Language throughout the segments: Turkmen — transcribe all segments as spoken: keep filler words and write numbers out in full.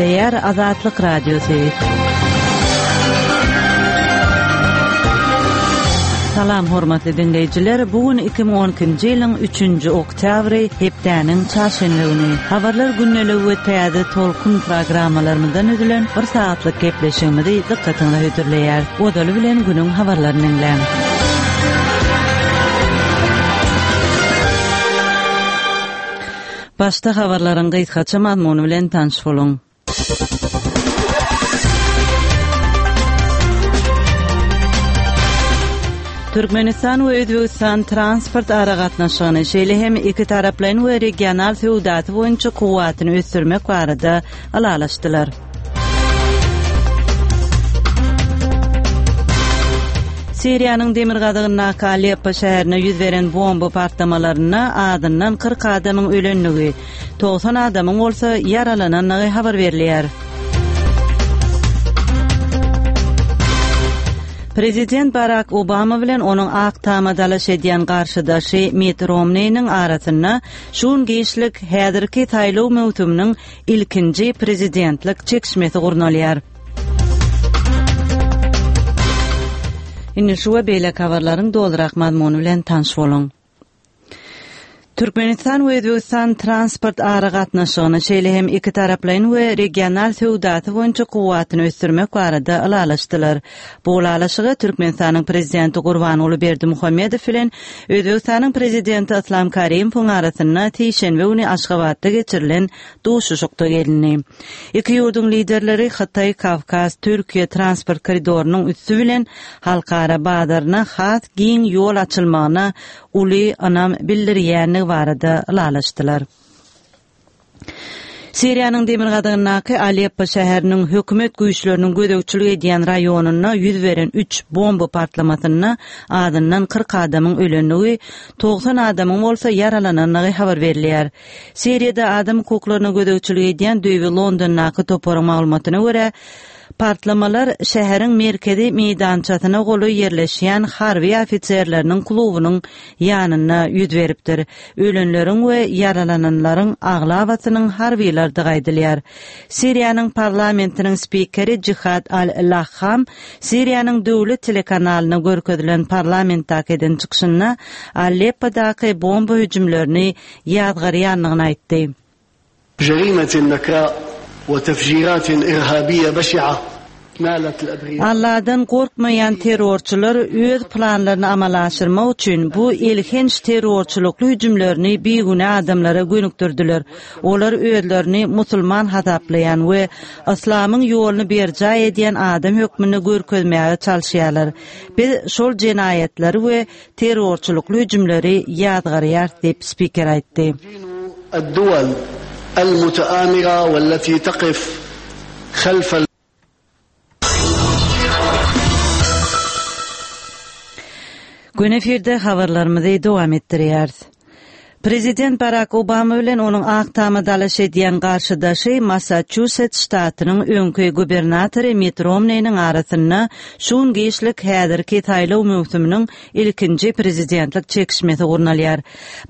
Gepleýär Azatlyk Radiosy. Salam hormatly dinleýjiler. Bu gün iki müň on ikinji ýylyň üçünji oktyabry, hepdäniň çarşenbe güni. Habarlar gündeligi we täze tolkun programmalarymyzdan üzülen bir saatlyk gepleşigimizi dykgatyňyza hödürleýär. Ozaly bilen günüň habarlaryny dinläň. Başda habarlaryň gysgaça mazmuny bilen tanyş boluň. Türkmenistan we Özbegistan transport aragatnaşygyny, şeýle hem iki taraplaýyn we regional söwdasy boýunça kuwwatyny ösdürmek barada ylalaşdylar. Siriýanyň demirgazygyndaky Aleppo şäherine ýüz beren bomba partlamalarynda azyndan kyrk adamyň ölendigi, togsan adamyň bolsa ýaralanandygy habar berilýär. Prezident Barack Obama bilen onuň Ak Tama dalaş edýän garşydaşy Mitt Romney'niň arasynda şu gün giçlik häzirki saýlaw möwsüminiň ilkinji prezidentlik çekişmesi gurnalýar. Indi şu we beýleki habarlaryň dolurak mazmuny bilen tanyş boluň. Türkmenistan we Özbegistan transport aragatnaşygyny, şeýle hem iki taraplaýyn we regional söwdasy boýunça kuwwatyny ösdürmek barada ylalaşdylar. Bu ylalaşyga Türkmenistanyň prezidenti Gurbanguly Berdimuhamedow bilen Özbegistanyň prezidenti Islam Karimowyň arasynda sişenbe güni Aşgabatda geçirilen duşuşykda gelindi. Iki ýurduň liderleri Hytaý, Kawkaz, Türkiýe transport koridorynyň üsti bilen halkara bazaryna has giň ýol açylmagyna uly ynam bildirýändigi barada ylalaşdylar. Siriýanyň demirgazygyndaky Aleppo şäheriniň hökümet güýçleriniň gözegçilik edýän raýonynda ýüz beren üç bomba partlamasynda azyndan kyrk adamyň ölendigi, togsan adamyň bolsa ýaralanandygy habar berilýär. Siriýada adam hukuklaryna gözegçilik edýän düýbi Londondaky toparyň maglumatyna görä, partlamalar şäheriň merkezi meýdançasyna golaý ýerleşýän harby ofiserleriniň klubunyň ýanynda ýüz beripdir. Ölenleriň we ýaralananlaryň aglabasynyň harbylardygy aýdylýar. Siriýanyň parlamentiniň spikeri Jihad al-Laham Siriýanyň döwlet telekanalyna görkezilen parlamentdäki eden çykyşynda Aleppodaky bomba hüjümlerini ýazgarýandygyny aýtdy. Jerimet nakra we tefjirat irhabiye beşi'a nalat al-abriya. Allah'dan korkmaýan terrorçylar öz planlaryny amala aşyrmak üçin bu elhenç terrorçylykly hüjümlerini bigünä adamlara gönükdirdiler. Olar özlerini musulman hasaplaýan we yslamyň ýoluny berjaý edýän adam hökmünde görkezmäge çalyşýarlar. Biz şol jenaýatlary we terrorçylykly hüjümleri ýazgarýar diýip spiker aýtdy. الدول المتآمرة والتي تقف خلف ال- Gün efirde habarlarymyzy dowam etdirýäris. Prezident Barack Obama bilen onuň Ak Tama dalaş edýän garşydaşy Massachusetts ştatynyň öňki gubernatory Mitt Romney'niň arasynda şu gün giçlik häzirki saýlaw möwsüminiň ilkinji prezidentlik çekişmesi gurnalýar.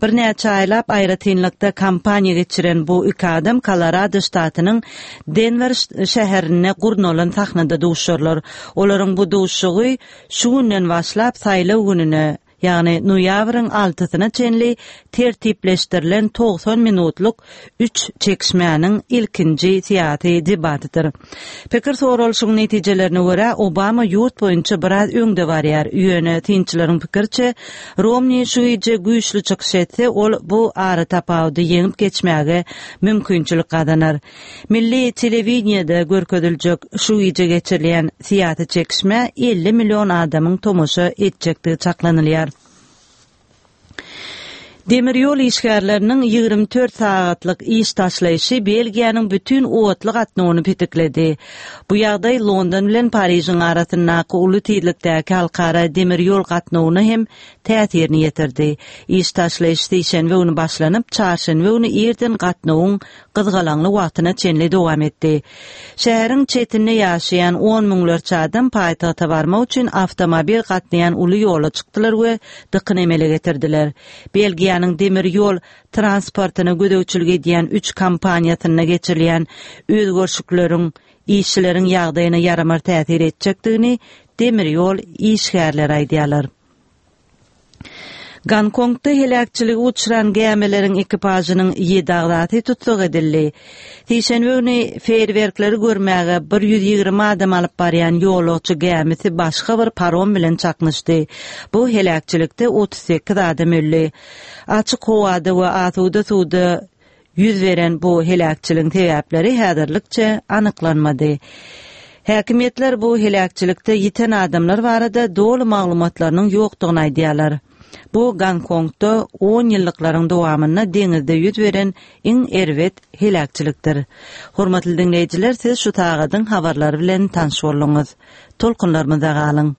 Birnäçe aýlap aýratynlykda kampaniýa geçiren bu iki adam Colorado ştatynyň Denver şäherinde gurnalan sahnada duşarlar. Olaryň bu duşugy şu günden başlap saýlaw gününe, ýagny noýabryň altysyna çenli tertipleşdirilen togsan minutlyk üç çekişmäniň ilkinji syýasy debatydyr. Pikir soralyşyň netijelerine görä Obama ýurt boýunça biraz öňde barýar. Ýöne synçylaryň pikirçe Romney şu gije güýçli çykyş etse, ol bu ara tapawudy ýeňip geçmäge mümkinçilik gazanar. Milli telewideniýede görkeziljek şu gije geçirilýän syýasy çekişmä elli milyon adamyň tomaşa etjekdigi çaklanylýar. Demir ýol işgärleriniň ýigrimi dört sagatlyk iş taşlaýşy Belgiýanyň bütün otly gatnawyny petikledi. Bu ýagdaý London bilen Parižiň arasyndaky uly tizlikdäki halkara demir ýol gatnawyna hem täsirini ýetirdi. Iş taşlaýyş sişenbe güni başlanyp, çarşenbe güni irden gatnawyň gyzgalaňly wagtyna çenli dowam etdi. Şäheriň çetinde ýaşaýan on müňlerçe adam paýtagta barmak üçin awtomobil gatnaýan uly ýola çykdylar we dykyn emele getirdiler. Belgiýanyň Türkiýäniň demir ýol transportyna gözegçilik edýän üç kompaniýasynda geçirilýän özgerişlikleriň işçileriň ýagdaýyna ýaramaz täsir etjekdigini demir ýol işgärleri aýdýarlar. Gonkongda heläkçilige uçran gämileriň ekipažynyň ýedi agzasy tussag edildi. Sişenbe güni feýerwerkleri görmäge bir ýüz ýigrimi adam alyp barýan ýolagçy gämisi başga bir parom bilen çaknyşdy. Bu heläkçilikde otuz sekiz adam öldi. Açyk howada we asuda suwda ýüz beren bu heläkçiligiň sebäpleri häzirlikçe anyklanmady. Häkimiýetler bu heläkçilikde ýiten adamlar barada doly maglumatlarynyň ýokdugyny aýdýarlar. Bu Gonkongda on ýyllyklaryň dowamynda deňizde ýüz beren iň erbet heläkçilikdir. Hormatly diňleýjiler, siz şu sagadyň habarlary bilen tanyş bolduňyz. Tolkunlarymyzda galyň.